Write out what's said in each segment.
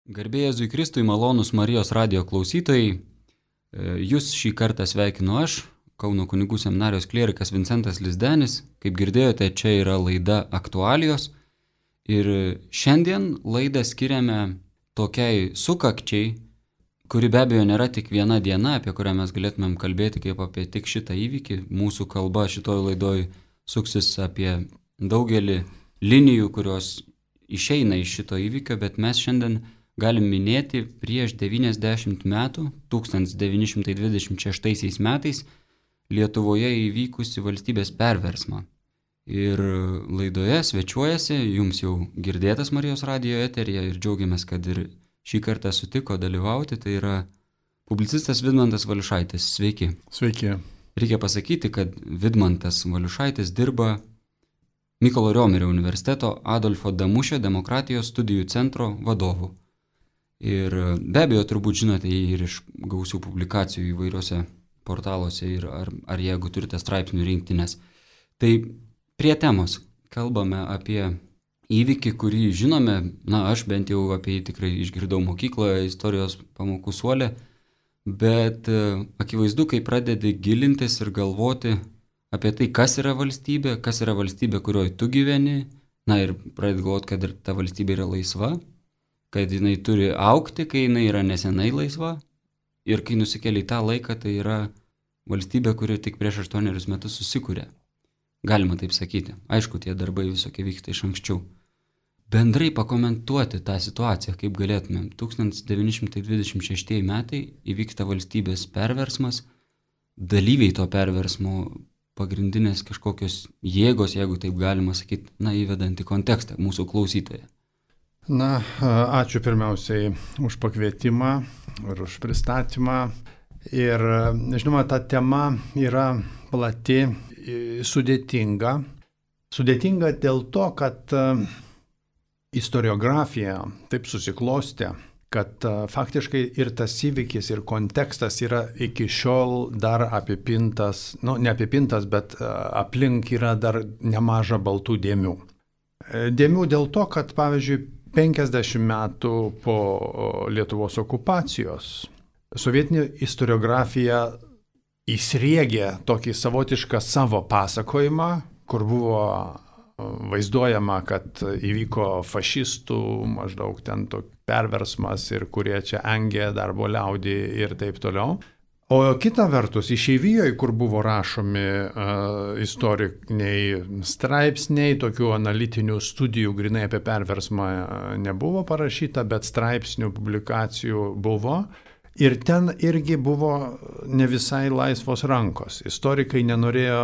Garbė Jėzui Kristui, malonūs Marijos radijo klausytojai, jūs šį kartą sveikinu aš, Kauno kunigų seminarijos klierikas Vincentas Lizdenis. Kaip girdėjote, čia yra laida Aktualijos ir šiandien laidą skiriame tokiai sukakčiai, kuri be abejo nėra tik viena diena, apie kurią mes galėtumėm kalbėti kaip apie tik šitą įvykį. Mūsų kalba šitoj laidoj suksis apie daugelį linijų, kurios išeina iš šito įvykio, bet mes šiandien galim minėti prieš 90 metų, 1926 metais, Lietuvoje įvykusi valstybės perversmą. Ir laidoje svečiuojasi, jums jau girdėtas Marijos radijo eteryje ir džiaugiamės, kad ir šį kartą sutiko dalyvauti, tai yra publicistas Vidmantas Valiušaitis. Sveiki. Sveiki. Reikia pasakyti, kad Vidmantas Valiušaitis dirba Mykolo Riomerio universiteto Adolfo Damušio demokratijos studijų centro vadovu. Ir be abejo, turbūt žinote jį ir iš gausių publikacijų įvairiuose portaluose ir ar jeigu turite straipsnių rinktinės. Tai prie temos kalbame apie įvykį, kurį žinome, aš bent jau apie jį tikrai išgirdau mokykloje, istorijos pamokų suole, bet akivaizdu, kai pradedi gilintis ir galvoti apie tai, kas yra valstybė, kurioje tu gyveni, ir pradedi galvoti, kad ta valstybė yra laisva, kad jinai turi augti, kai jinai yra nesenai laisva, ir kai nusikeli į tą laiką, tai yra valstybė, kuri tik prieš 8 metus susikūrė. Galima taip sakyti. Aišku, tie darbai visokie vyksta iš anksčiau. Bendrai pakomentuoti tą situaciją, kaip galėtumėm. 1926 metai įvyksta valstybės perversmas, dalyviai to perversmo pagrindinės kažkokios jėgos, jeigu taip galima sakyti, įvedant į kontekstą mūsų klausytoje. Ačiū pirmiausiai už pakvietimą ir už pristatymą. Ir, žinoma, ta tema yra plati, sudėtinga. Sudėtinga dėl to, kad istoriografija taip susiklostė, kad faktiškai ir tas įvykis, ir kontekstas yra iki šiol dar apipintas, neapipintas, bet aplink yra dar nemaža baltų dėmių. Dėmių dėl to, kad, pavyzdžiui, 50 metų po Lietuvos okupacijos sovietinė istoriografija įsriegė tokį savotišką savo pasakojimą, kur buvo vaizduojama, kad įvyko fašistų maždaug ten perversmas ir kurie čia engė darbo liaudį ir taip toliau. O kita vertus, išeivijoje, kur buvo rašomi istoriniai straipsniai, tokių analitinių studijų grinai apie perversmą nebuvo parašyta, bet straipsnių publikacijų buvo. Ir ten irgi buvo ne visai laisvos rankos. Istorikai nenorėjo,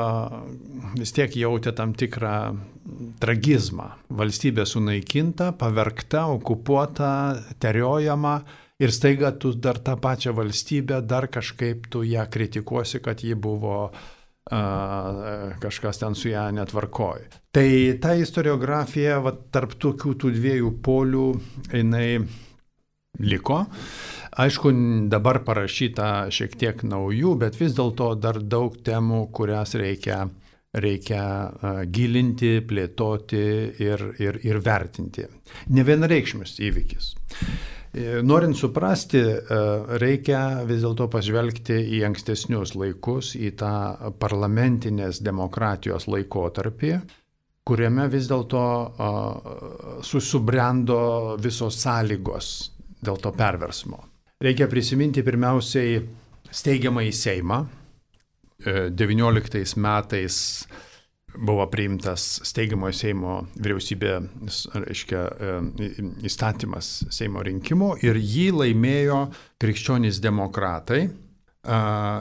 vis tiek jautė tam tikrą tragizmą. Valstybė sunaikinta, pavergta, okupuota, teriojama ir staiga tu dar tą pačią valstybę, dar kažkaip tu ją kritikuosi, kad ji buvo kažkas ten su ją netvarkoj. Tai ta istoriografija tarp tokių tų dviejų polių jinai liko. Aišku, dabar parašyta šiek tiek naujų, bet vis dėlto dar daug temų, kurias reikia gilinti, plėtoti ir vertinti. Nevienareikšmis įvykis. Norint suprasti, reikia vis dėlto pažvelgti į ankstesnius laikus, į tą parlamentinės demokratijos laikotarpį, kuriame vis dėlto subrendo visos sąlygos dėl to perversmo. Reikia prisiminti pirmiausiai steigiamąjį Seimą. 19 metais buvo priimtas steigiamojo Seimo vyriausybė, įstatymas Seimo rinkimų ir jį laimėjo krikščionys demokratai.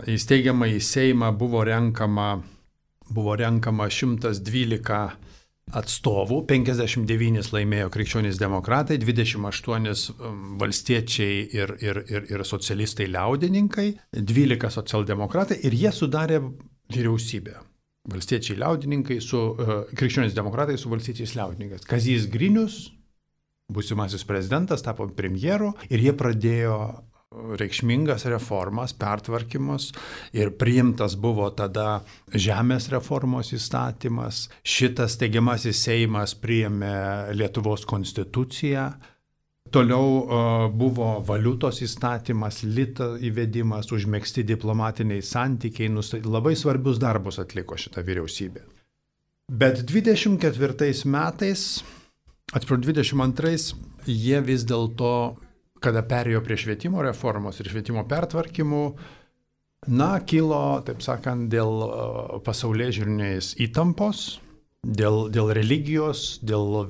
Į steigiamąjį Seimą buvo renkama 112 atstovų, 59 laimėjo krikščionys demokratai, 28 valstiečiai ir socialistai liaudininkai, 12 socialdemokratai ir jie sudarė vyriausybę. Valstiečiai liaudininkai su krikščionys demokratai su valstiečiais liaudininkais. Kazys Grinius, būsimasis prezidentas, tapo premjeru ir jie pradėjo reikšmingas reformas, pertvarkymus ir priimtas buvo tada žemės reformos įstatymas. Šitas steigiamasis Seimas priėmė Lietuvos konstituciją, Toliau buvo valiutos įstatymas, lito įvedimas, užmegzti diplomatiniai santykiai, labai svarbius darbus atliko šita vyriausybė. Bet 24 metais, 22, jie vis dėlto, kada perėjo prie švietimo reformos ir švietimo pertvarkymų, kilo, taip sakant, dėl pasaulėžiūrinės įtampos, dėl religijos, dėl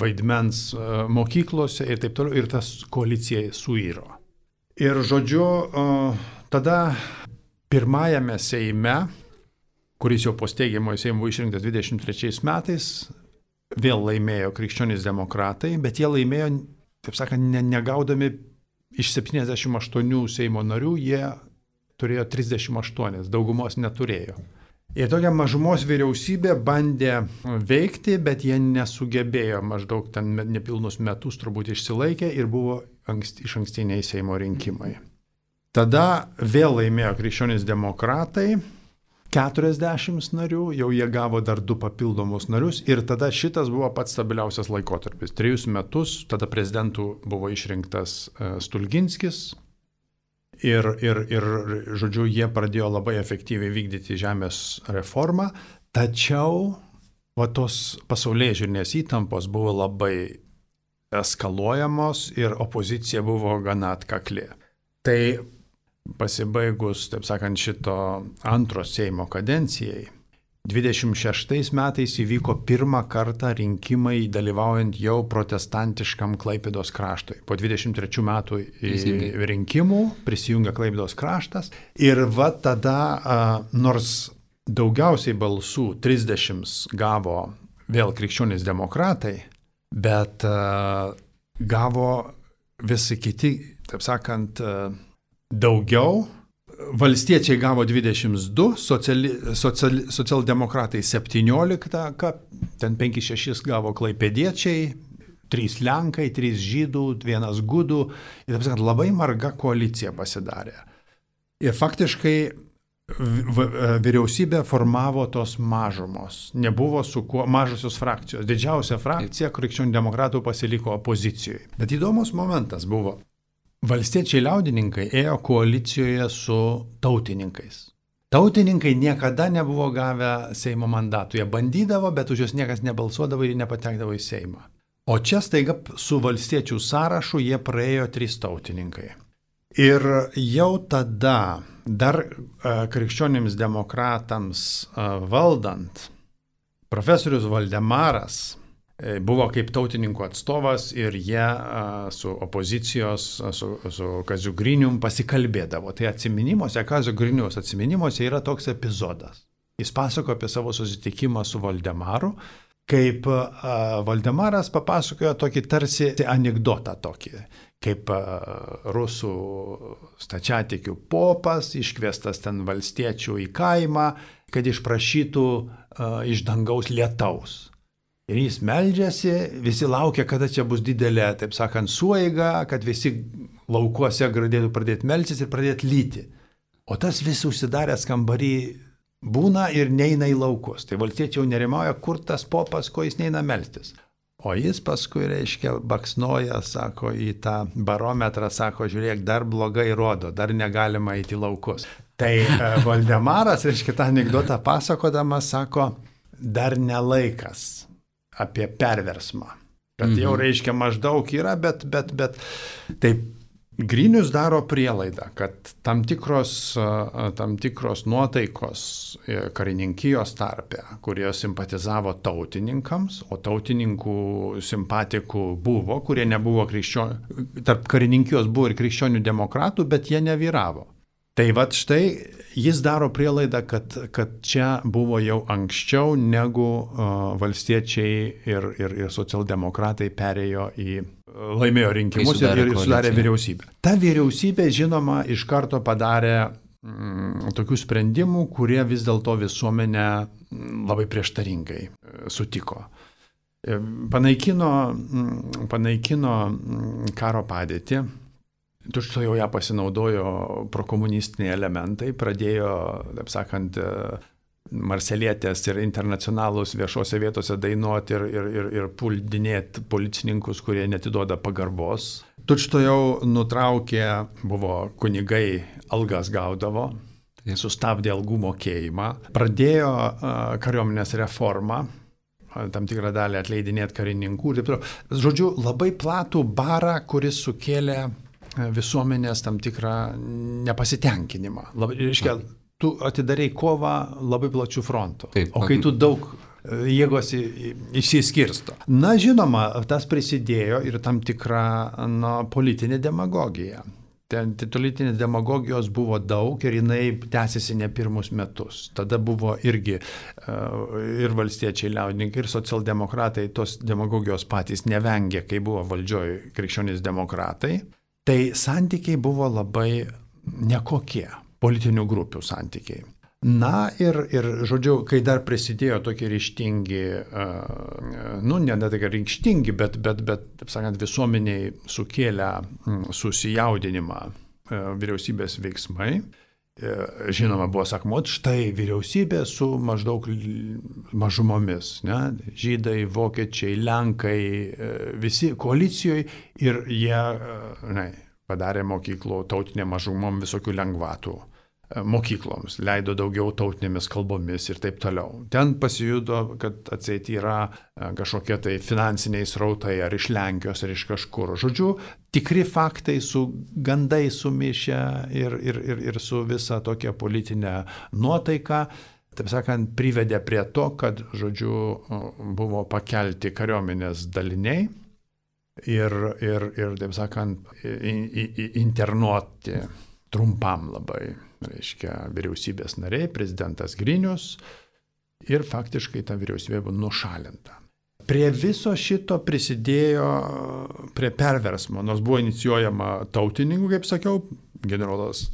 vaidmens mokyklose ir taip toliau, ir tas koalicija suiro. Ir žodžiu, tada pirmajame Seime, kuris jau po steigiamojo Seimo išrinktas 23 metais, vėl laimėjo krikščionys demokratai, bet jie laimėjo, taip sakant, negaudami iš 78 Seimo narių, jie turėjo 38, daugumos neturėjo. Ir tokia mažumos vyriausybė bandė veikti, bet jie nesugebėjo, maždaug ten nepilnus metus turbūt išsilaikė ir buvo išankstiniai Seimo rinkimai. Tada vėl laimėjo krikščionys demokratai, 40 narių, jau jie gavo dar 2 papildomus narius ir tada šitas buvo pats stabiliausias laikotarpis. 3 metus, tada prezidentų buvo išrinktas Stulginskis ir, žodžiu, jie pradėjo labai efektyviai vykdyti žemės reformą, tačiau tos pasaulėžiūrinės įtampos buvo labai eskaluojamos ir opozicija buvo gana atkakli. Tai pasibaigus, taip sakant, šito antro Seimo kadencijai, 26 metais įvyko pirmą kartą rinkimai dalyvaujant jau protestantiškam Klaipėdos kraštui. Po 23 metų rinkimų prisijungia Klaipėdos kraštas ir tada, nors daugiausiai balsų 30 gavo vėl krikščionys demokratai, bet gavo visi kiti, taip sakant, daugiau. Valstiečiai gavo 22, socialdemokratai 17, ten 5-6 gavo klaipėdiečiai, 3 lenkai, 3 žydų, 1 gudų. Ir taip sakant, labai marga koalicija pasidarė. Ir faktiškai vyriausybė formavo tos mažumos. Nebuvo su kuo mažosios frakcijos. Didžiausia frakcija krikščionių demokratų pasiliko opozicijoje. Bet įdomus momentas buvo. Valstiečiai liaudininkai ėjo koalicijoje su tautininkais. Tautininkai niekada nebuvo gavę Seimo mandatų. Jie bandydavo, bet už juos niekas nebalsuodavo ir nepatekdavo į Seimą. O čia staiga su valstiečių sąrašu jie praėjo 3 tautininkai. Ir jau tada, dar krikščionims demokratams valdant, profesorius Valdemaras buvo kaip tautininkų atstovas ir jie su opozicijos, su Kaziu Grinium pasikalbėdavo. Tai atsiminimuose, Kazio Griniaus atsiminimuose yra toks epizodas. Jis pasako apie savo susitikimą su Valdemaru, kaip Valdemaras papasakojo tokį tarsi anekdotą tokį, kaip rusų stačiatikių popas iškviestas ten valstiečių į kaimą, kad išprašytų iš dangaus lietaus. Ir jis meldžiasi, visi laukia, kada čia bus didelė, taip sakant, sueiga, kad visi laukuose galėtų pradėti melstis ir pradėti lyti. O tas vis užsidaręs kambarį būna ir neina į laukus. Tai valstiečiai jau nerimauja, kur tas popas, ko jis neina melstis. O jis paskui, reiškia, baksnoja, sako, į tą barometrą, sako, žiūrėk, dar blogai rodo, dar negalima eiti į laukus. Tai Valdemaras, reiškia, tą anekdotą pasakodamas, sako, dar nelaikas apie perversmą. Kad jau, reiškia, maždaug yra, bet taip Grinius daro prielaidą, kad tam tikros nuotaikos karininkijos tarpe, kurie simpatizavo tautininkams, o tautininkų simpatikų buvo, kurie nebuvo tarp karininkijos buvo ir krikščionių demokratų, bet jie nevyravo. Tai vat štai jis daro prielaidą, kad čia buvo jau anksčiau negu valstiečiai ir socialdemokratai laimėjo rinkimus ir sudarė vyriausybę. Ta vyriausybė, žinoma, iš karto padarė tokių sprendimų, kurie vis dėlto visuomenę labai prieštaringai sutiko. Panaikino karo padėtį. Tučto jau ją pasinaudojo prokomunistiniai elementai, pradėjo, taip sakant, marselietės ir internacionalus viešose vietose dainuoti ir puldinėti policininkus, kurie netiduoda pagarbos. Tučtuojau nutraukė, buvo kunigai, algas gaudavo, sustabdė algų mokėjimą, pradėjo kariuomenės reformą, tam tikrą dalį atleidinėti karininkų. Žodžiu, labai platų barą, kuris sukėlė visuomenės tam tikrą nepasitenkinimą. Reiškia, tu atidarei kovą labai plačių frontų. Taip, o kai tu daug jėgos išsiskirsto. Na, žinoma, tas prisidėjo ir tam tikra politinė demagogija. Ten politinės demagogijos buvo daug ir jinai tęsiasi ne pirmus metus. Tada buvo irgi ir valstiečiai liaudininkai, ir socialdemokratai tos demagogijos patys nevengė, kai buvo valdžioj krikščionys demokratai. Tai santykiai buvo labai nekokie, politinių grupių santykiai. Na ir žodžiu, kai dar prisidėjo tokie ryžtingi, ne tai kad ryžtingi, bet taip sakant, visuomeniai sukėlė susijaudinimą vyriausybės veiksmai. Žinoma, buvo sakoma, štai vyriausybė su maždaug mažumomis, ne? Žydai, vokiečiai, lenkai, visi koalicijoje ir jie padarė mokyklų tautinė mažumom visokių lengvatų. Mokykloms, leido daugiau tautinėmis kalbomis ir taip toliau. Ten pasijudo, kad atseit yra kažkokie tai finansiniai srautai ar iš Lenkijos, ar iš kažkur. Žodžiu, tikri faktai su gandai sumišę ir su visa tokia politinė nuotaika, taip sakant, privedė prie to, kad, žodžiu, buvo pakelti kariuomenės daliniai ir taip sakant, internuoti trumpam labai. Reiškia, vyriausybės nariai, prezidentas Grinius ir faktiškai ta vyriausybė buvo nušalinta. Prie viso šito prisidėjo prie perversmo, nors buvo inicijuojama tautininkų, kaip sakiau, generolas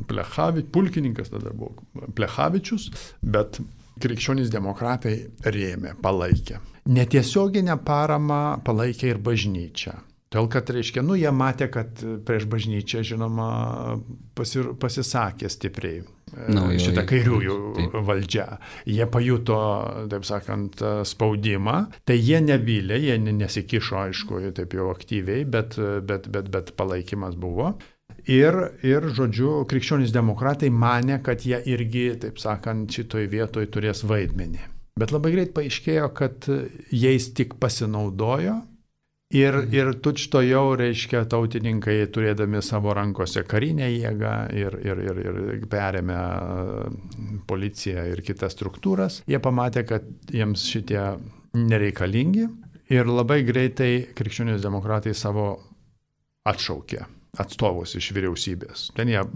Plechavičius, pulkininkas tada buvo Plechavičius, bet krikščionys demokratai rėmė, palaikė. Netiesioginę paramą palaikė ir bažnyčia. Todėl, kad, reiškia, jie matė, kad prieš bažnyčią, žinoma, pasisakė stipriai šitą kairiųjų valdžią. Jie pajuto, taip sakant, spaudimą, tai jie nebylė, jie nesikišo, aišku, taip jau aktyviai, bet palaikymas buvo. Ir, žodžiu, krikščionys demokratai manė, kad jie irgi, taip sakant, šitoj vietoj turės vaidmenį. Bet labai greit paaiškėjo, kad jais tik pasinaudojo. Ir tučtuojau, reiškia, tautininkai turėdami savo rankose karinę jėgą ir perėmė policiją ir kitas struktūras, jie pamatė, kad jiems šitie nereikalingi ir labai greitai krikščionys demokratai savo atšaukė atstovus iš vyriausybės. Ten jie,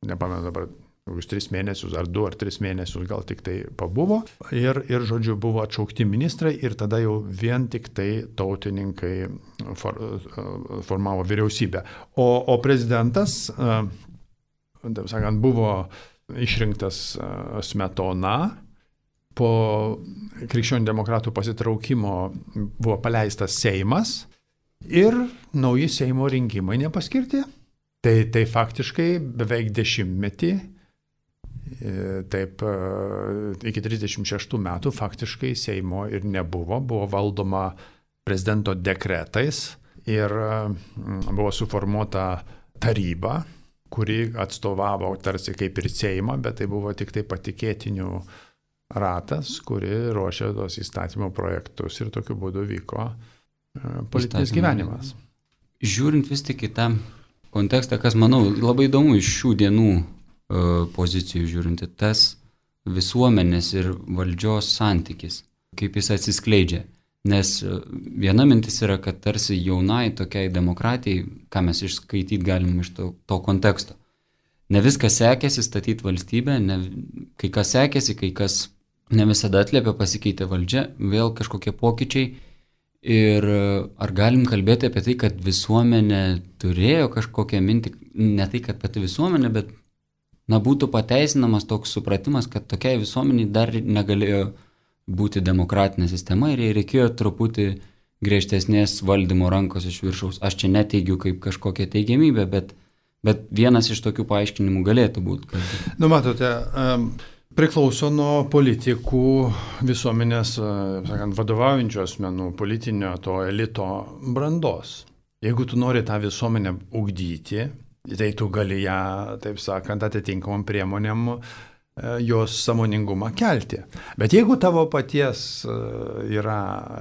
nepamenu dabar, už 3 mėnesius, ar 2 ar 3 mėnesius gal tik tai pabuvo. Ir, žodžiu, buvo atšaukti ministrai ir tada jau vien tik tai tautininkai formavo vyriausybę. O prezidentas, taip sakant, buvo išrinktas Smetona. Po krikščionių demokratų pasitraukimo buvo paleistas Seimas ir nauji Seimo rinkimai nepaskirti. Tai faktiškai beveik 10 metį. Taip, iki 36 metų faktiškai Seimo ir nebuvo, buvo valdoma prezidento dekretais ir buvo suformuota taryba, kuri atstovavo tarsi kaip ir Seimą, bet tai buvo tik tai patikėtinių ratas, kuri ruošė tos įstatymo projektus ir tokiu būdu vyko politinis gyvenimas. Žiūrint vis tik į tą kontekstą, kas, manau, labai įdomu iš šių dienų pozicijų žiūrint, tas visuomenės ir valdžios santykis, kaip jis atsiskleidžia. Nes viena mintis yra, kad tarsi jaunai tokiai demokratijai, ką mes išskaityti galim iš to konteksto. Ne viskas sekėsi statyti valstybę, kai kas sekėsi, kai kas ne visada atliepia, pasikeitė valdžia, vėl kažkokie pokyčiai. Ir ar galim kalbėti apie tai, kad visuomenė turėjo kažkokią mintį, ne tai, kad pati visuomenė, bet būtų pateisinamas toks supratimas, kad tokiai visuomeniai dar negalėjo būti demokratinė sistema ir jai reikėjo truputį griežtesnės valdymo rankos iš viršaus. Aš čia neteigiu kaip kažkokią teigiamybę, bet vienas iš tokių paaiškinimų galėtų būti. Matote, priklauso nuo politikų, visuomenės, sakant, vadovaujančių asmenų, politinio to elito brandos. Jeigu tu nori tą visuomenę ugdyti, tai tu gali ją, taip sakant, atitinkamom priemonėm jos sąmoningumą kelti. Bet jeigu tavo paties yra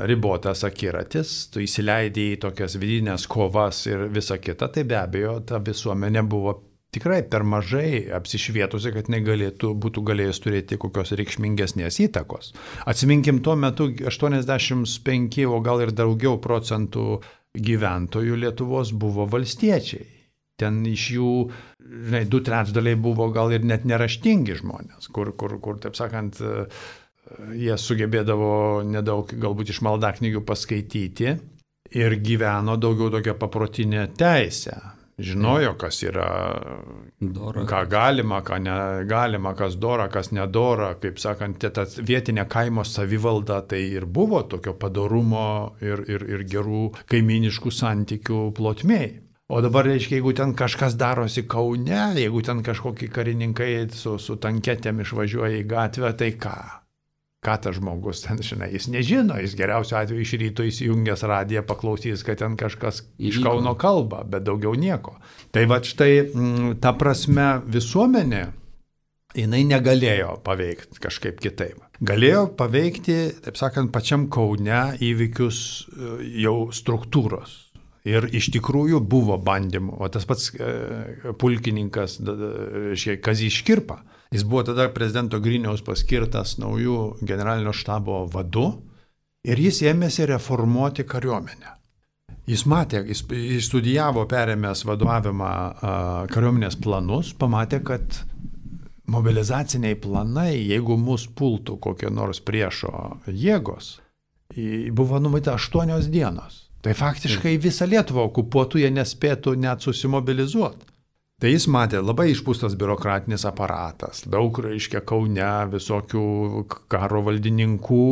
ribotas akiratis, tu įsileidai į tokias vidinės kovas ir visa kita, tai be abejo ta visuomenė buvo tikrai per mažai apsišvietusi, kad būtų galėjęs turėti kokios reikšmingesnės įtakos. Atsiminkim, tuo metu 85, o gal ir daugiau procentų gyventojų Lietuvos buvo valstiečiai. Ten iš jų, 2/3 buvo gal ir net neraštingi žmonės, kur taip sakant, jie sugebėdavo nedaug galbūt iš maldaknygių paskaityti ir gyveno daugiau tokią paprotinę teisę. Žinojo, kas yra, Dora. ką galima, ką negalima, kas dora, kas nedora. Kaip sakant, ta vietinė kaimo savivalda tai ir buvo tokio padorumo ir gerų kaiminiškų santykių plotmėj. O dabar, reiškia, jeigu ten kažkas darosi Kaune, jeigu ten kažkokie karininkai su tanketėm išvažiuoja į gatvę, tai ką? Ką tas žmogus ten, žinai, jis nežino, jis geriausiu atveju iš ryto įsijungęs radiją paklausys, kad ten kažkas iš Kauno kalba, bet daugiau nieko. Tai va štai, ta prasme, visuomenė, jinai negalėjo paveikti kažkaip kitaip. Galėjo paveikti, taip sakant, pačiam Kaune įvykius jau struktūros. Ir iš tikrųjų buvo bandymų. O tas pats pulkininkas Kazys Škirpa, jis buvo tada prezidento Griniaus paskirtas naujų generalinio štabo vadu ir jis ėmėsi reformuoti kariuomenę. Jis matė, jis studijavo perėmęs vadovavimą kariuomenės planus, pamatė, kad mobilizaciniai planai, jeigu mus pultų kokie nors priešo jėgos, buvo numatyta 8 dienos. Tai faktiškai visą Lietuvą okupuotų, jie nespėtų net susimobilizuoti. Tai jis matė labai išpūstas biurokratinis aparatas, daug, reiškia, Kaune visokių karo valdininkų,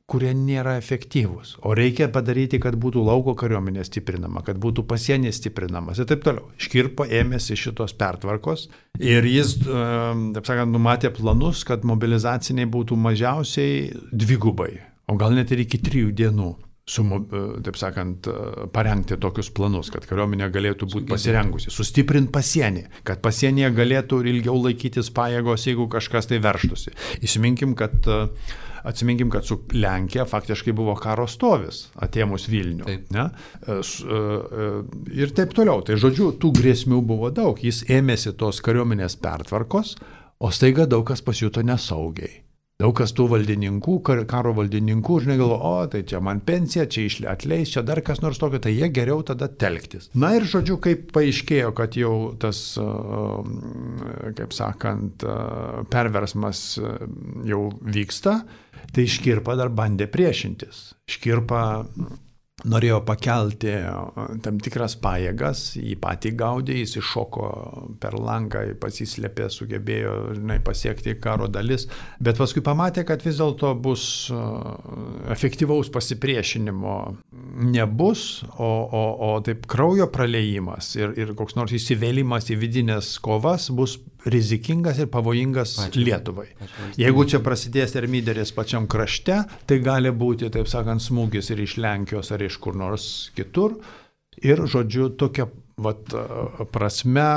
kurie nėra efektyvūs. O reikia padaryti, kad būtų lauko kariuomenė stiprinama, kad būtų pasienis stiprinamas ir taip toliau. Škirpa ėmėsi šitos pertvarkos ir jis, taip sakant, numatė planus, kad mobilizaciniai būtų mažiausiai 2, o gal net ir iki 3 dienų. Taip sakant, parengti tokius planus, kad kariuomenė galėtų būti pasirengusi, sustiprinti pasienį, kad pasienyje galėtų ilgiau laikytis pajėgos, jeigu kažkas tai verštųsi. Atsiminkim, kad su Lenkija faktiškai buvo karo stovis, atėmus Vilnių. Ne? Ir taip toliau. Tai žodžiu, tų grėsmių buvo daug. Jis ėmėsi tos kariuomenės pertvarkos, o staiga daug kas pasijuto nesaugiai. Daug kas tų valdininkų, karo valdininkų, žinai, galvo, tai čia man pensija, čia atleis, čia dar kas nors tokio, tai jie geriau tada telktis. Na ir žodžiu, kaip paaiškėjo, kad jau tas, kaip sakant, perversmas jau vyksta, tai Škirpa dar bandė priešintis. Škirpa norėjo pakelti tam tikras pajėgas, jį patį gaudė, jis iššoko per langą, pasislėpė, sugebėjo, žinai, pasiekti karo dalis, bet paskui pamatė, kad vis dėlto bus efektyvaus pasipriešinimo nebus, o taip kraujo praleimas ir koks nors įsivėlimas į vidinės kovas bus rizikingas ir pavojingas Lietuvai. Jeigu čia prasidės termiderės pačiam krašte, tai gali būti, taip sakant, smūgis ir iš Lenkijos ar iš kur nors kitur. Ir, žodžiu, tokia prasme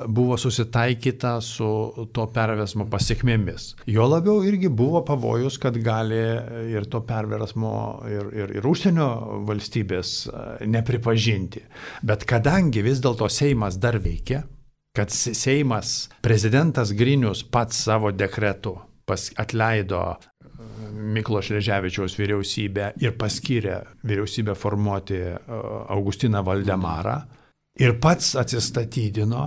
buvo susitaikyta su to perversmo pasiekmėmis. Jo labiau irgi buvo pavojus, kad gali ir to perversmo ir užsienio valstybės nepripažinti. Bet kadangi vis dėlto Seimas dar veikia, kad Seimas, prezidentas Grinius pats savo dekretu atleido Mykolo Šleževičiaus vyriausybę ir paskyrė vyriausybę formuoti Augustiną Valdemarą ir pats atsistatydino,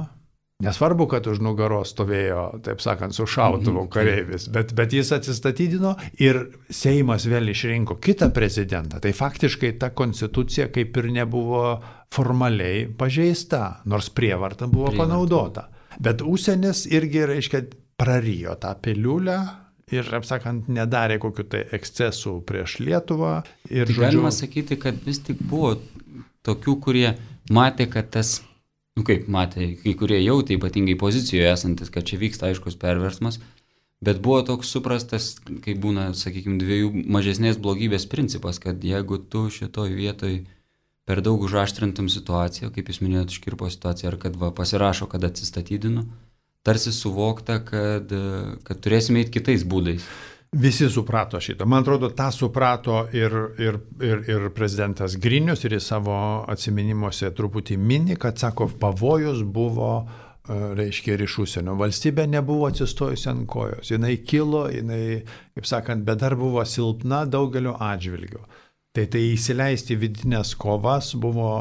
nesvarbu, kad už nugaros stovėjo, taip sakant, su šautuvu kareivis, bet jis atsistatydino ir Seimas vėl išrinko kitą prezidentą. Tai faktiškai ta konstitucija kaip ir nebuvo formaliai pažeista, nors prievarta buvo panaudota. Bet užsienis irgi, reiškia, prarijo tą piliulę ir, apsakant, nedarė kokių tai ekscesų prieš Lietuvą. Ir, tai galima sakyti, kad vis tik buvo tokių, kurie matė, kad tas, kaip matė, kai kurie jautė ypatingai pozicijoje esantis, kad čia vyksta aiškus perversmas, Bet buvo toks suprastas, kaip būna, sakykime, dviejų mažesnės blogybės principas, kad jeigu tu šitoj vietoj per daug užaštrintum situaciją, kaip jūs minėjote, Škirpo situaciją, ar kad pasirašo, kad atsistatydinu, tarsi suvokta, kad turėsime eiti kitais būdais. Visi suprato šitą. Man atrodo, tą suprato ir prezidentas Grinius, ir į savo atsiminimuose truputį mini, kad, sako, pavojus buvo, reiškia, ir iš užsienio. Valstybė nebuvo atsistojusi ant kojos. Jinai kilo, kaip sakant, bet dar buvo silpna daugeliu atžvilgių. Tai įsileisti vidinės kovas buvo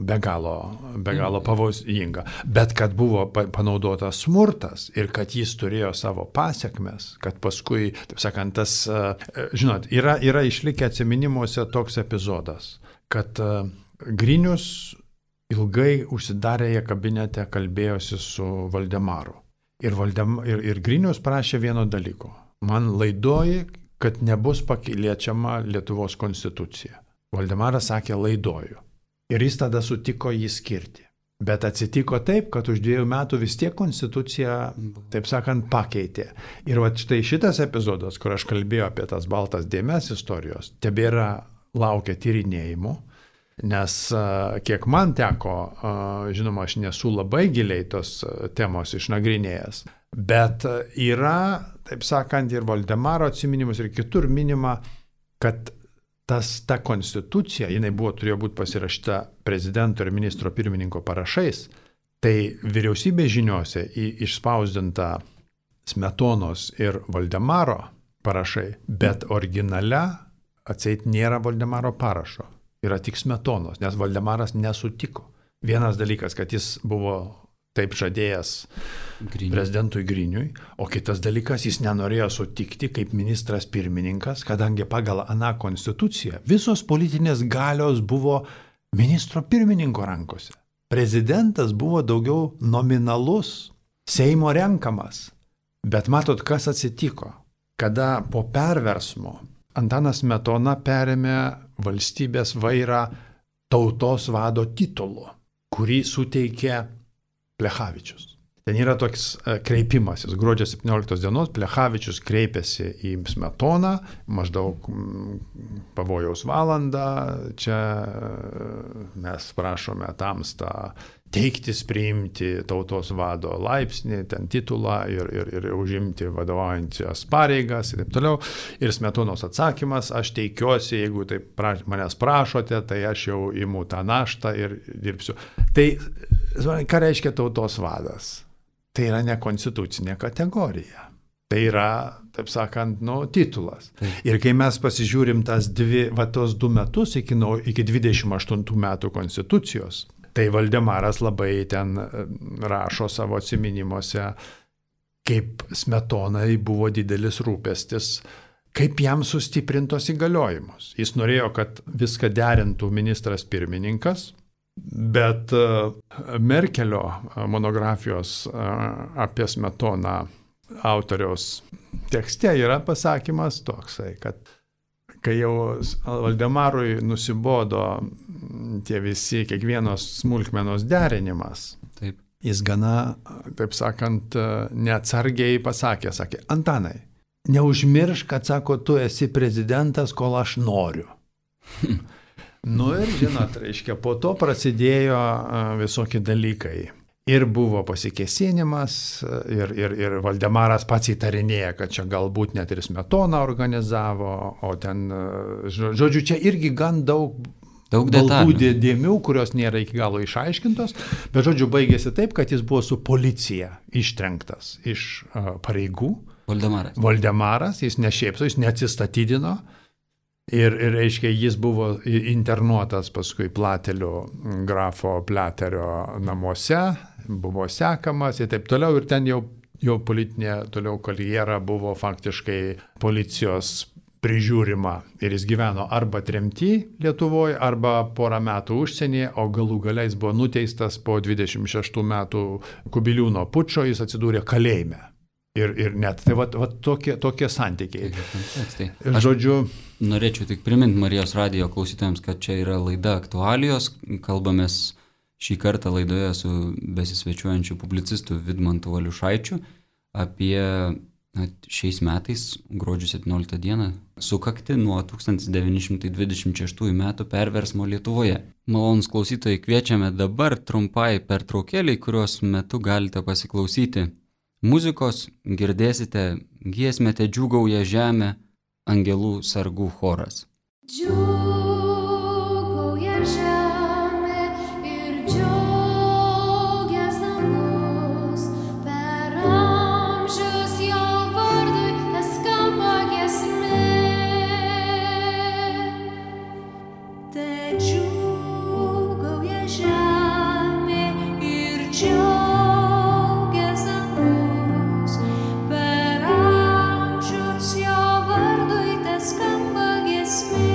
be galo pavojinga. Bet kad buvo panaudotas smurtas ir kad jis turėjo savo pasiekmes, kad paskui, taip sakant, tas, žinot, yra išlikę atsiminimuose toks epizodas, kad Grinius ilgai užsidarėje kabinete kalbėjosi su Valdemaru. Ir Grinius prašė vieno dalyko. Man laidoji, kad nebus pakiliečiama Lietuvos konstitucija. Valdemaras sakė, laidoju. Ir jis tada sutiko jį skirti. Bet atsitiko taip, kad už 2 metų vis tiek konstituciją, taip sakant, pakeitė. Ir va štai šitas epizodas, kur aš kalbėjau apie tas baltas dėmes istorijos, tebėra laukia tyrinėjimų, nes kiek man teko, žinoma, aš nesu labai giliai tos temos išnagrinėjęs, bet yra, taip sakant, ir Valdemaro atsiminimus, ir kitur minima, kad ta konstitucija, jinai turėjo būti pasirašyta prezidento ir ministro pirmininko parašais, tai vyriausybės žiniuose išspausdinta Smetonos ir Valdemaro parašai, bet originale atseit nėra Valdemaro parašo, yra tik Smetonos, nes Valdemaras nesutiko. Vienas dalykas, kad jis buvo taip žadėjęs prezidentui Griniui, o kitas dalykas, jis nenorėjo sutikti kaip ministras pirmininkas, kadangi pagal aną konstituciją visos politinės galios buvo ministro pirmininko rankose. Prezidentas buvo daugiau nominalus, Seimo renkamas. Bet matot, kas atsitiko, kada po perversmo Antanas Smetona perėmė valstybės vairą tautos vado titulu, kurį suteikė Plechavičius. Ten yra toks kreipimasis. Gruodžio 17 dienos Plechavičius kreipėsi į Smetoną, maždaug pavojaus valandą, čia mes prašome tamstą teiktis priimti tautos vado laipsnį, ten titulą ir užimti vadovaujančias pareigas ir taip toliau. Ir Smetonos atsakymas, aš teikiuosi, jeigu taip manęs prašote, tai aš jau imu tą naštą ir dirbsiu. Tai ką reiškia tautos vadas? Tai yra ne konstitucinė kategorija. Tai yra, taip sakant, titulas. Ir kai mes pasižiūrim tos 2 metus iki 28 metų konstitucijos, tai Valdemaras labai ten rašo savo atsiminimuose, kaip Smetonai buvo didelis rūpestis, kaip jam sustiprintos įgaliojimus. Jis norėjo, kad viską derintų ministras pirmininkas, bet Merkelio monografijos apie Smetoną autoriaus tekste yra pasakymas toksai, kad kai jau Valdemarui nusibodo tie visi, kiekvienos smulkmenos derinimas, taip. Jis gana, taip sakant, neatsargiai pasakė, Antanai, neužmiršk, kad, sako, tu esi prezidentas, kol aš noriu. Ir žinot, reiškia, po to prasidėjo visokie dalykai. Ir buvo pasikėsinimas, ir Valdemaras pats įtarinėja, kad čia galbūt net ir Smetona organizavo, o ten, žodžiu, čia irgi gan daug baltų dėmių, kurios nėra iki galo išaiškintos, bet, žodžiu, baigėsi taip, kad jis buvo su policija ištrenktas iš pareigų. Valdemaras, jis ne šiaip, jis neatsistatydino. Ir reiškia, jis buvo internuotas paskui Platelio, grafo Platerio namuose, buvo sekamas ir taip toliau. Ir ten jo politinė toliau karjera buvo faktiškai policijos prižiūrima. Ir jis gyveno arba tremty Lietuvoje, arba porą metų užsienyje, o galų galiais buvo nuteistas po 26 metų Kubiliūno pučo, jis atsidūrė kalėjime. Ir net, tai tokie santykiai. Žodžiu, norėčiau tik priminti Marijos radijo klausytojams, kad čia yra laida Aktualijos. Kalbamės šį kartą laidoje su besisvečiuojančiu publicistu Vidmantu Valiušaičiu apie šiais metais, gruodžio 17 dieną, sukakti nuo 1926 metų perversmo Lietuvoje. Malonūs klausytojai, kviečiame dabar trumpai pertraukėliai, kurios metu galite pasiklausyti muzikos, girdėsite giesmę Te džiūgauja žemė, angelų sargų choras. Džiūgauja žemė ir džiaugias dangus, per amžius jo vardui skamba giesmė. Te džiūgauja žemė ir džiaugias dangus, per amžius jo vardui skamba giesmė.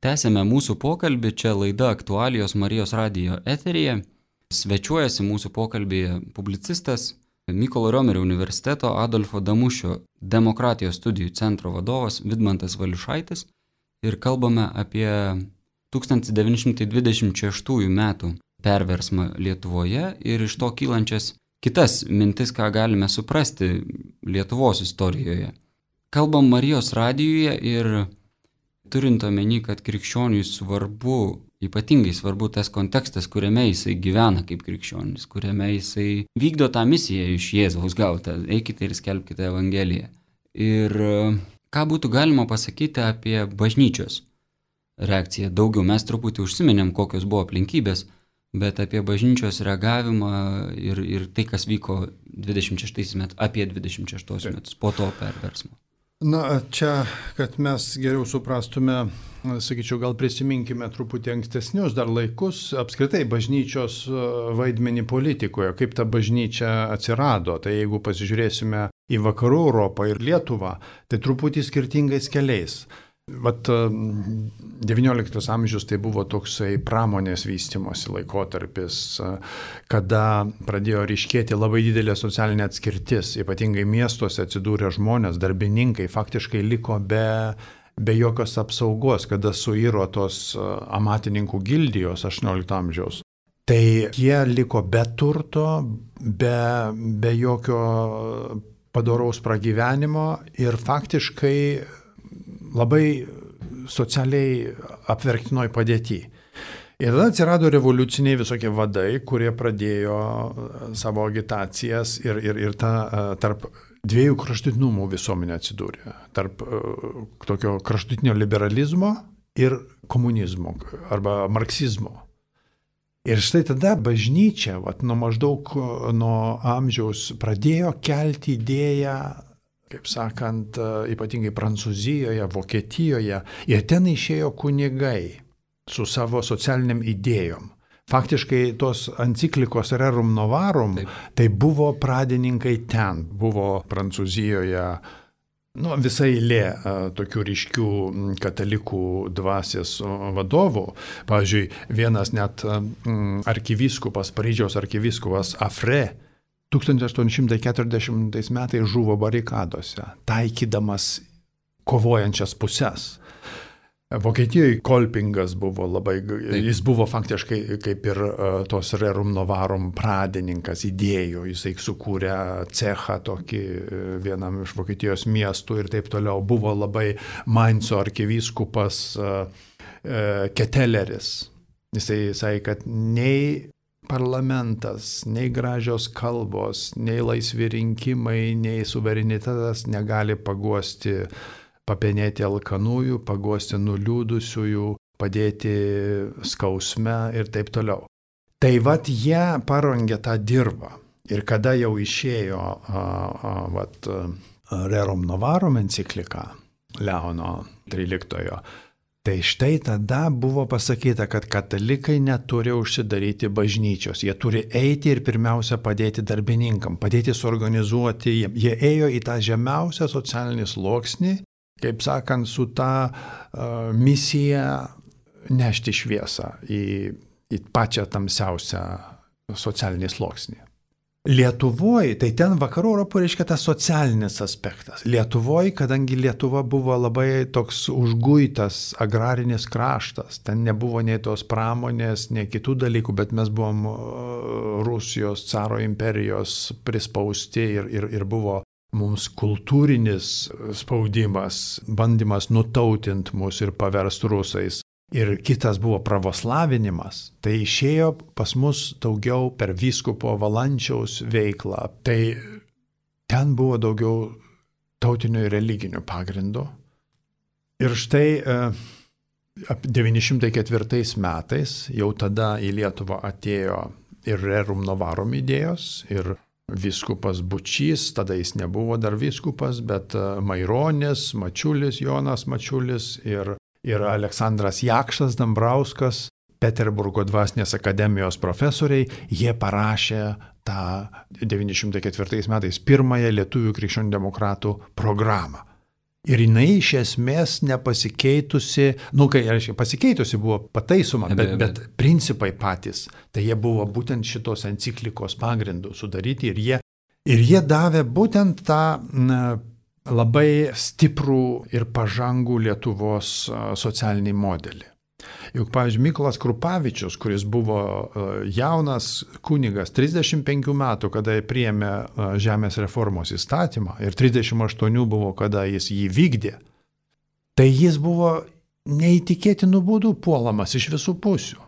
Tęsėme mūsų pokalbį, čia laida Aktualijos Marijos radijo eteryje. Svečiuojasi mūsų pokalbėje publicistas, Mykolo Riomerio universiteto Adolfo Damušio demokratijos studijų centro vadovas Vidmantas Valiušaitis ir kalbame apie 1926 metų perversmą Lietuvoje ir iš to kylančias kitas mintis, ką galime suprasti Lietuvos istorijoje. Kalbam Marijos radijuje ir turint omeny, kad krikščioniui svarbu, ypatingai svarbu tas kontekstas, kuriame jisai gyvena kaip krikščionis, kuriame jisai vykdo tą misiją iš Jėzaus gautą, eikite ir skelbkite Evangeliją. Ir ką būtų galima pasakyti apie bažnyčios reakciją? Daugiau mes truputį užsiminėm, kokios buvo aplinkybės, bet apie bažnyčios reagavimą ir tai, kas vyko 26 metais, apie 26 metus po to perversmo. Na, čia, kad mes geriau suprastume, sakyčiau, gal prisiminkime truputį ankstesnius dar laikus, apskritai bažnyčios vaidmenį politikoje, kaip ta bažnyčia atsirado. Tai jeigu pasižiūrėsime į Vakarų Europą ir Lietuvą, tai truputį skirtingais keliais. Vat 19 amžius tai buvo toksai pramonės vystimosi laikotarpis, kada pradėjo ryškėti labai didelė socialinė atskirtis, ypatingai miestuose atsidūrę žmonės, darbininkai faktiškai liko be jokios apsaugos, kada suiro tos amatininkų gildijos 18 amžiaus. Tai jie liko be turto, be jokio padoraus pragyvenimo ir faktiškai labai socialiai apverktinoj padėty. Ir tada atsirado revoliuciniai visokie vadai, kurie pradėjo savo agitacijas ir tarp dviejų kraštutinumų visuomenė atsidūrė. Tarp tokio kraštutinio liberalizmo ir komunizmo arba marksizmo. Ir štai tada bažnyčia, nuo amžiaus pradėjo kelti idėją, kaip sakant, ypatingai Prancūzijoje, Vokietijoje, ir ten išėjo kunigai su savo socialiniam idėjom. Faktiškai tos enciklikos Rerum Novarum, tai buvo pradininkai ten, buvo Prancūzijoje, visai eilė tokių ryškių katalikų dvasios vadovų. Pavyzdžiui, vienas net arkivyskupas, Paryžiaus arkivyskupas Afre, 1840 metais žuvo barikadose, taikydamas kovojančias puses. Vokietijoje Kolpingas buvo jis buvo faktiškai kaip ir tos Rerum Novarum pradininkas idėjų, jisai sukūrė cechą tokį vienam iš Vokietijos miestų ir taip toliau. Buvo labai Mainco arkivyskupas Keteleris. Jisai sakė, kad nei parlamentas, nei gražios kalbos, nei laisvi rinkimai, nei suverenitetas negali paguosti, papenėti alkanųjų, paguosti nuliūdusiųjų, padėti skausme ir taip toliau. Tai jie parengė tą dirbą. Ir kada jau išėjo Rerum Novarum enciklika Leono XIII, tai štai tada buvo pasakyta, kad katalikai neturi užsidaryti bažnyčios, jie turi eiti ir pirmiausia padėti darbininkam, padėti suorganizuoti, jie ėjo į tą žemiausią socialinį sluoksnį, kaip sakant, su tą misiją nešti šviesą į pačią tamsiausią socialinį sluoksnį. Lietuvoje, tai ten Vakarų Europoje reiškia tas socialinis aspektas. Lietuvoje, kadangi Lietuva buvo labai toks užguitas agrarinis kraštas, ten nebuvo nei tos pramonės, nei kitų dalykų, bet mes buvom Rusijos caro imperijos prispausti ir buvo mums kultūrinis spaudimas, bandymas nutautinti mus ir paversti rusais. Ir kitas buvo pravoslavinimas, tai išėjo pas mus daugiau per vyskupo Valančiaus veiklą. Tai ten buvo daugiau tautinio ir religinio pagrindo. Ir štai 904 metais jau tada į Lietuvą atėjo ir Rerum Novarum idėjos, ir vyskupas Bučys, tada jis nebuvo dar vyskupas, bet Maironis, Mačiulis, Jonas Mačiulis ir Aleksandras Jakštas Dambrauskas, Peterburgo dvasinės akademijos profesoriai, jie parašė tą 904 metais pirmąją lietuvių krikščionių demokratų programą. Ir jinai iš esmės nepasikeitusi, pasikeitusi buvo pataisoma, bet principai patys, tai jie buvo būtent šitos enciklikos pagrindų sudaryti ir jie davė būtent tą labai stiprų ir pažangų Lietuvos socialinį modelį. Juk, pavyzdžiui, Mykolas Krupavičius, kuris buvo jaunas kunigas, 35 metų, kada priėmė žemės reformos įstatymą ir 38 buvo, kada jis jį vykdė, tai jis buvo neįtikėtinų būdų puolamas iš visų pusių.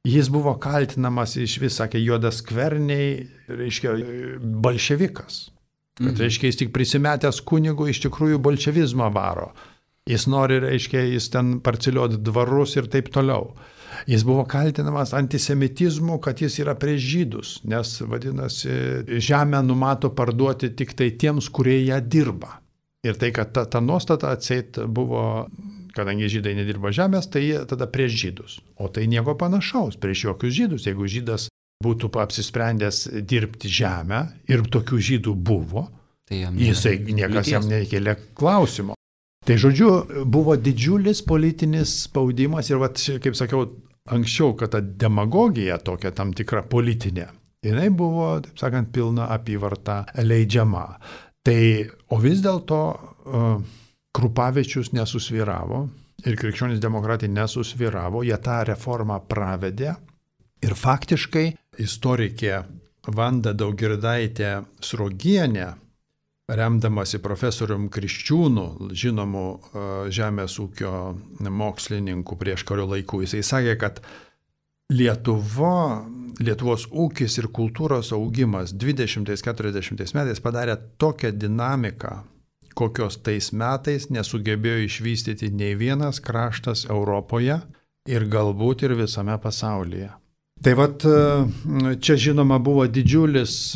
Jis buvo kaltinamas iš vis, sakė, juodaskverniai, reiškia, bolševikas. Kad, reiškia, jis tik prisimetęs kunigų iš tikrųjų bolševizmą varo. Jis nori, reiškia, jis ten parceliuoti dvarus ir taip toliau. Jis buvo kaltinamas antisemitizmu, kad jis yra prieš žydus, nes, vadinasi, žemę numato parduoti tik tai tiems, kurie ją dirba. Ir tai, kad ta nuostata atseit buvo, kadangi žydai nedirba žemės, tai jie tada prieš žydus. O tai nieko panašaus, prieš jokius žydus. Jeigu žydas būtų apsisprendęs dirbti žemę ir tokių žydų buvo, tai niekas jam nekėlė klausimo. Tai žodžiu, buvo didžiulis politinis spaudimas ir, kaip sakiau, anksčiau, kad ta demagogija tokia tam tikra politinė, jinai buvo, taip sakant, pilna apyvarta leidžiama. Tai, o vis dėlto Krupavičius nesusvyravo ir krikščionys demokratai nesusvyravo, jie tą reformą pravedė ir faktiškai istorikė Vanda Daugirdaitė Sruogienė, remdamasi profesorium Kriščiūnu, žinomu žemės ūkio mokslininku prieš kario laikų, jisai sakė, kad Lietuvos ūkis ir kultūros augimas 20-40 metais padarė tokią dinamiką, kokios tais metais nesugebėjo išvystyti nei vienas kraštas Europoje ir galbūt ir visame pasaulyje. Tai vat čia žinoma buvo didžiulis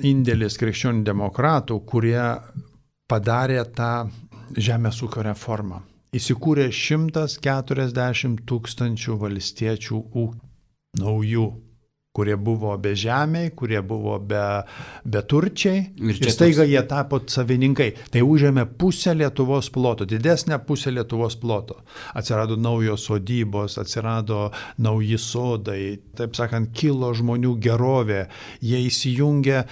indėlis krikščionių demokratų, kurie padarė tą žemės ūkio reformą. Įsikūrė 140 000 valstiečių naujų, kurie buvo bežemiai, kurie buvo beturčiai ir staiga jie tapo savininkai. Tai užėmė pusę Lietuvos ploto, didesnę pusę Lietuvos ploto. Atsirado naujos sodybos, atsirado nauji sodai, taip sakant, kilo žmonių gerovė, jie įsijungė.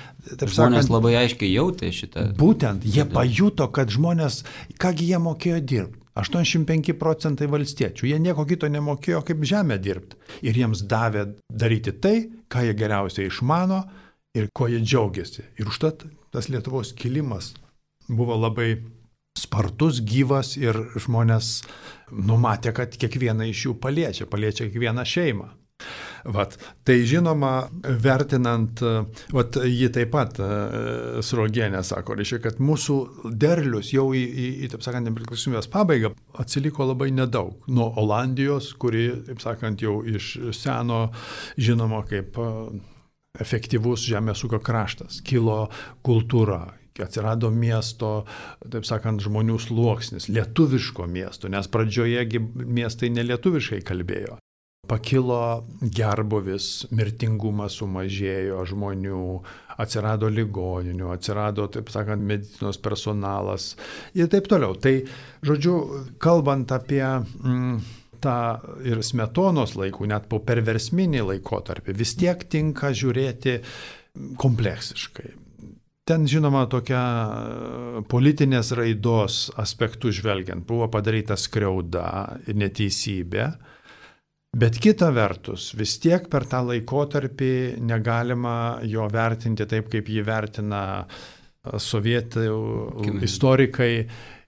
Žmonės labai aiškiai jautė šitą. Būtent, jie pajuto, kad žmonės, kągi jie mokėjo dirbti. 85% valstiečių, jie nieko kito nemokėjo kaip žemę dirbti. Ir jiems davė daryti tai, ką jie geriausiai išmano ir ko jie džiaugiasi. Ir užtat tas Lietuvos kilimas buvo labai spartus, gyvas ir žmonės numatė, kad kiekvieną iš jų paliečia kiekvieną šeimą. Tai žinoma, vertinant, ji taip pat Sruogienė sako, reiškia, kad mūsų derlius jau į taip sakant, nepriklausomybės pabaigą atsiliko labai nedaug. Nuo Olandijos, kuri, taip sakant, jau iš seno žinoma kaip efektyvus žemės ūkio kraštas, kilo kultūra. Atsirado miesto, taip sakant, žmonių sluoksnis, lietuviško miesto, nes pradžioje miestai nelietuviškai kalbėjo. Pakilo gerbūvis, mirtingumas sumažėjo žmonių, atsirado ligoninių, atsirado, taip sakant, medicinos personalas ir taip toliau. Tai, žodžiu, kalbant apie tą ir Smetonos laikų, net po perversminį laikotarpį, vis tiek tinka žiūrėti kompleksiškai. Ten, žinoma, tokia politinės raidos aspektų žvelgiant, buvo padaryta skriauda ir neteisybė. Bet kita vertus, vis tiek per tą laikotarpį negalima jo vertinti taip, kaip jį vertina sovietų istorikai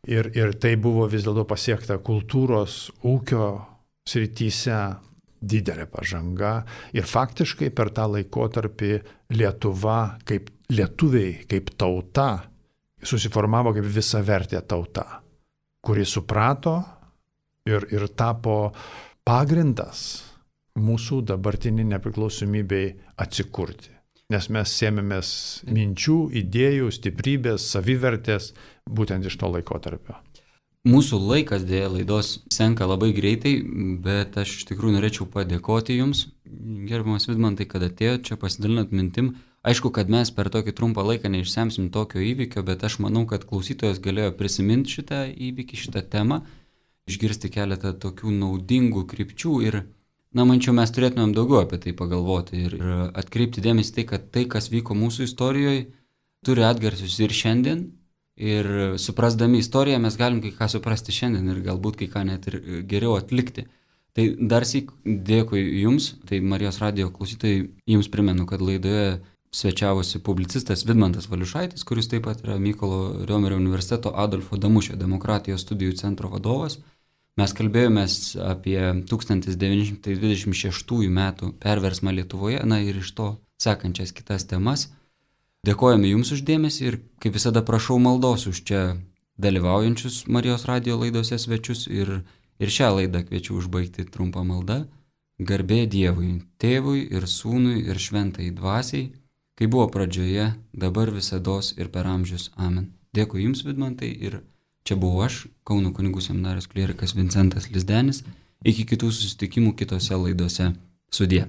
ir tai buvo vis dėlto pasiekta kultūros ūkio srityse didelė pažanga ir faktiškai per tą laikotarpį Lietuva, kaip lietuviai, kaip tauta, susiformavo kaip visavertė tauta, kuri suprato ir tapo pagrindas mūsų dabartinį nepriklausomybei atsikurti. Nes mes sėmėmės minčių, idėjų, stiprybės, savivertės būtent iš to laikotarpio. Mūsų laikas dėja laidos senka labai greitai, bet aš iš tikrųjų norėčiau padėkoti Jums, gerbiamas Vidmantai, kad atėjote čia pasidalinat mintim. Aišku, kad mes per tokį trumpą laiką neišsemsim tokio įvykio, bet aš manau, kad klausytojas galėjo prisiminti šitą įvykį, šitą temą, išgirsti keletą tokių naudingų krypčių ir, mančiau, mes turėtumėm daugiau apie tai pagalvoti ir atkreipti dėmesį tai, kad tai, kas vyko mūsų istorijoje, turi atgarsius ir šiandien ir suprasdami istoriją mes galim kai ką suprasti šiandien ir galbūt kai ką net ir geriau atlikti. Tai dar syk dėkui Jums, tai Marijos radijo klausytojai, Jums primenu, kad laidoje svečiavosi publicistas Vidmantas Valiušaitis, kuris taip pat yra Mykolo Riomerio universiteto Adolfo Damušio demokratijos studijų centro vadovas. Mes kalbėjomės apie 1926 metų perversmą Lietuvoje, na ir iš to sekančias kitas temas. Dėkojame Jums uždėmesį ir kaip visada prašau maldos už čia dalyvaujančius Marijos radijo laidose svečius ir šią laidą kviečiu užbaigti trumpą maldą. Garbė Dievui, Tėvui ir Sūnui ir Šventai Dvasiai, kai buvo pradžioje, dabar visados ir per amžius. Amen. Dėkui Jums, Vidmantai, ir čia buvau aš, Kauno kunigų seminarijos klierikas Vincentas Lizdenis. Iki kitų susitikimų kitose laidose. Sudie.